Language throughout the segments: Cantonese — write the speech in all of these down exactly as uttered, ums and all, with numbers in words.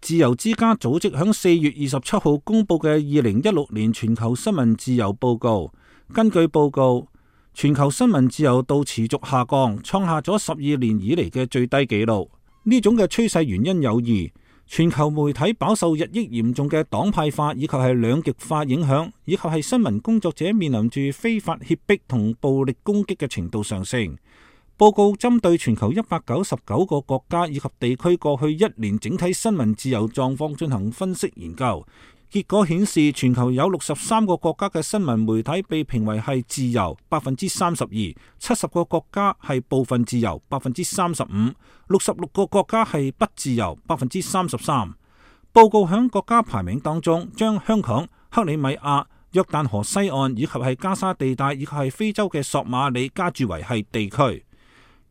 自由之家組織響四月二十七號公佈嘅二零一六年全球新聞自由報告，根據報告，全球新聞自由度持續下降，創下咗十二年以嚟嘅最低紀錄。呢種嘅趨勢原因有二：全球媒體飽受日益嚴重嘅黨派化以及係兩極化影響，以及係新聞工作者面臨住非法脅迫同暴力攻擊嘅程度上升。報告針對全球一百九十九個國家以及地區過去一年整體新聞自由狀況進行分析研究，結果顯示全球有六十三個國家嘅新聞媒體被評為係自由百分之三十二，七十個國家係部分自由百分之三十五，六十六個國家係不自由百分之三十三。報告響國家排名當中，將香港、克里米亞、約旦河西岸以及係加沙地帶以及係非洲嘅索馬里加注為係地區。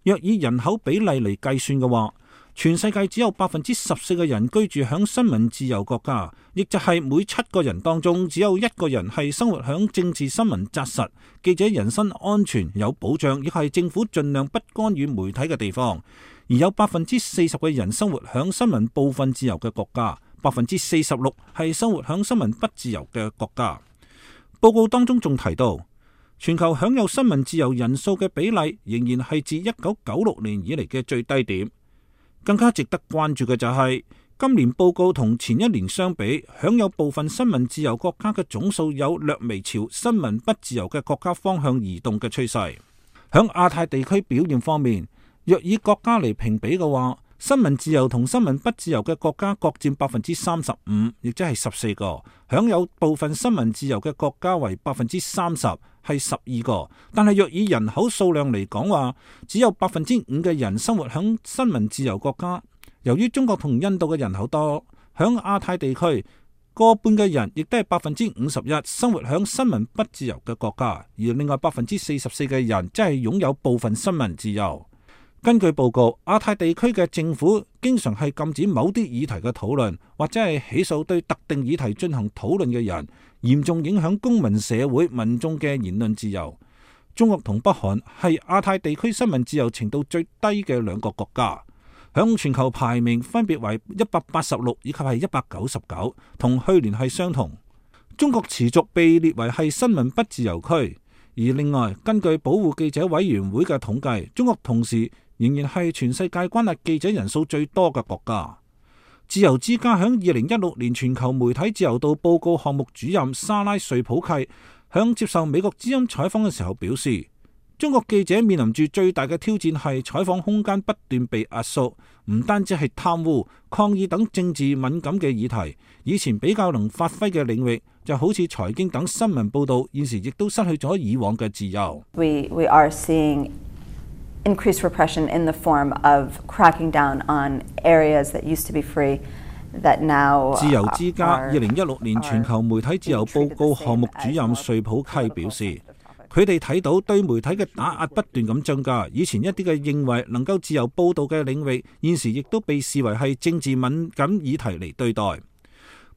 若以人口比例嚟計算嘅話，全世界只有百分之十四嘅人居住響新聞自由國家，亦就係每七個人當中只有一個人係生活響政治新聞紮實、記者人身安全有保障，亦係政府盡量不干預媒體嘅地方。而有百分之四十嘅人生活響新聞部分自由嘅國家，百分之四十六係生活響新聞不自由嘅國家。報告當中仲提到，全球享有新聞自由人數嘅比例仍然係自一九九六年以嚟嘅最低點。更加值得關注嘅就係、是、今年報告同前一年相比，享有部分新聞自由國家嘅總數有略微朝新聞不自由嘅國家方向移動嘅趨勢。響亞太地區表現方面，若以國家嚟評比嘅話，新聞自由同新聞不自由嘅國家各佔百分之三十五，亦即係十四個；享有部分新聞自由嘅國家為百分之三十，係十二個。但係若以人口數量嚟講話，只有百分之五嘅人生活響新聞自由國家。由於中國同印度嘅人口多，響亞太地區過半嘅人亦都係百分之五十一生活響新聞不自由嘅國家，而另外百分之四十四嘅人即係擁有部分新聞自由。根據報告，亞太地區嘅政府經常係禁止某啲議題嘅討論，或者係起訴對特定議題進行討論嘅人，嚴重影響公民社會民眾嘅言論自由。中國同北韓係亞太地區新聞自由程度最低嘅兩個國家，響全球排名分別為一百八十六以及係一百九十九，同去年係相同。中國持續被列為係新聞不自由區，而另外根據保護記者委員會嘅統計，中國同時仍然係全世界關押記者人數最多嘅國家。自由之家響二零一六年全球媒體自由度報告項目主任莎拉瑞普契響接受美國之音採訪嘅時候表示，中國記者面臨住最大嘅挑戰係採訪空間不斷被壓縮，唔單止係貪污、抗議等政治敏感嘅議題，以前比較能發揮嘅領域，就好似財經等新聞報道，現時亦都失去咗以往嘅自由。We, we are seeing increased repression in the form of cracking down on areas that used to be free that now 自由之家二零一六年全球媒體自由報告項目主任瑞普契表示，佢哋睇到對媒體嘅打壓不斷咁增加，以前一啲嘅認為能夠自由報道嘅領域，現時亦都被視為係政治敏感議題嚟對待。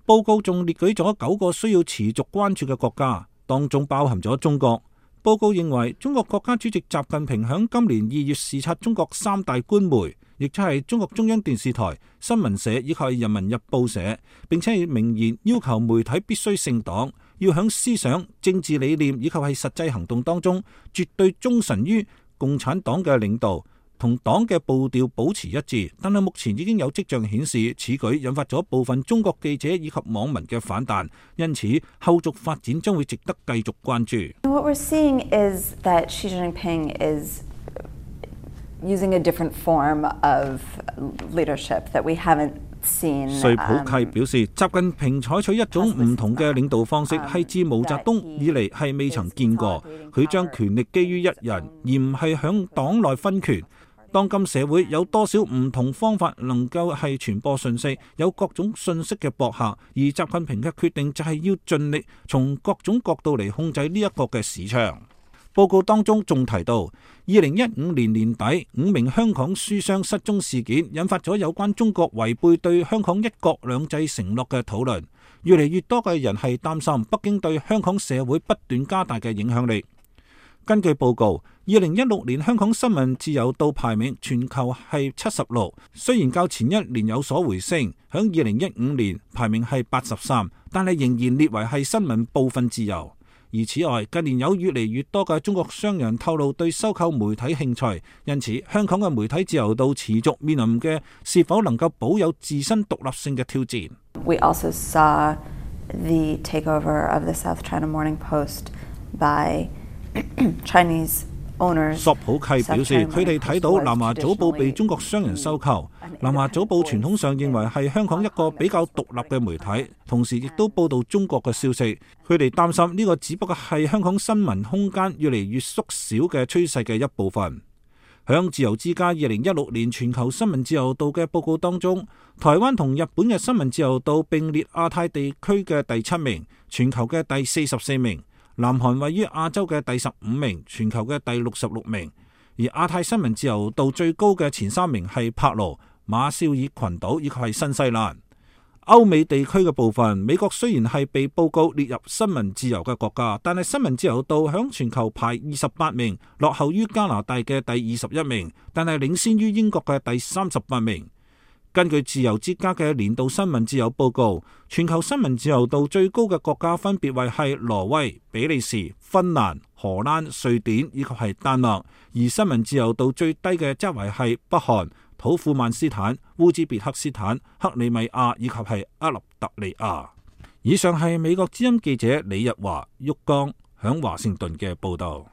報告仲列舉咗九個需要持續關注嘅國家，當中包含咗中國。報告認為，中國國家主席習近平響今年二月視察中國三大官媒，亦即係中國中央電視台、新聞社以及人民日報社，並且係明言要求媒體必須姓黨，要響思想、政治理念以及係實際行動當中，絕對忠誠於共產黨嘅領導，同黨嘅步調保持一致。但係目前已經有跡象顯示，此舉引發咗部分中國記者以及網民嘅反彈，因此後續發展將會值得繼續關注。What we're seeing is that Xi Jinping is using a different form of leadership that we haven't seen. 瑞普契表示，習近平採取一種唔同嘅領導方式，係自毛澤東以嚟係未曾見過。佢將權力基於一人，而唔係響黨內分權。當今社會有多少唔同方法能夠係傳播信息，有各種信息嘅博客，而習近平嘅決定就係要盡力從各種角度嚟控制呢一個嘅市場。報告當中仲提到，二零一五年年底五名香港書商失蹤事件，引發咗有關中國違背對香港一國兩制承諾嘅討論。越嚟越多嘅人係擔心北京對香港社會不斷加大嘅影響力。根據報告，二零一六年香港新聞自由度排名全球係七十六，雖然較前一年有所回升，響二零一五年排名係八十三，但係仍然列為係新聞部分自由。而此外，近年有越嚟越多嘅中國商人透露對收購媒體興趣，因此香港嘅媒體自由度持續面臨嘅是否能夠保有自身獨立性嘅挑戰。We also saw the takeover of the South China Morning Post by Chinese owners. 索普契表示，佢哋睇到南華早報被中國商人收購。南華早報傳統上認為係香港一個比較獨立嘅媒體，同時亦都報道中國嘅消息。佢哋擔心呢個只不過係香港新聞空間越嚟越縮小嘅趨勢嘅一部分。響自由之家二零一六年全球新聞自由度嘅報告當中，台灣同日本嘅新聞自由度並列亞太地區嘅第七名，全球嘅第四十四名。南韓位於亞洲嘅第十五名，全球嘅第六十六名。而亞太新聞自由度最高嘅前三名係帕勞、馬紹爾群島以及係新西蘭。歐美地區嘅部分，美國雖然係被報告列入新聞自由嘅國家，但係新聞自由度響全球排二十八名，落後於加拿大嘅第二十一名，但係領先於英國嘅第三十八名。根據自由之家嘅年度新聞自由報告，全球新聞自由度最高嘅國家分別為係挪威、比利時、芬蘭、荷蘭、瑞典以及係丹麥，而新聞自由度最低嘅則為係北韓、土庫曼斯坦、烏茲別克斯坦、克里米亞以及係厄立特里亞。以上係美國之音記者李日華、旭江響華盛頓嘅報道。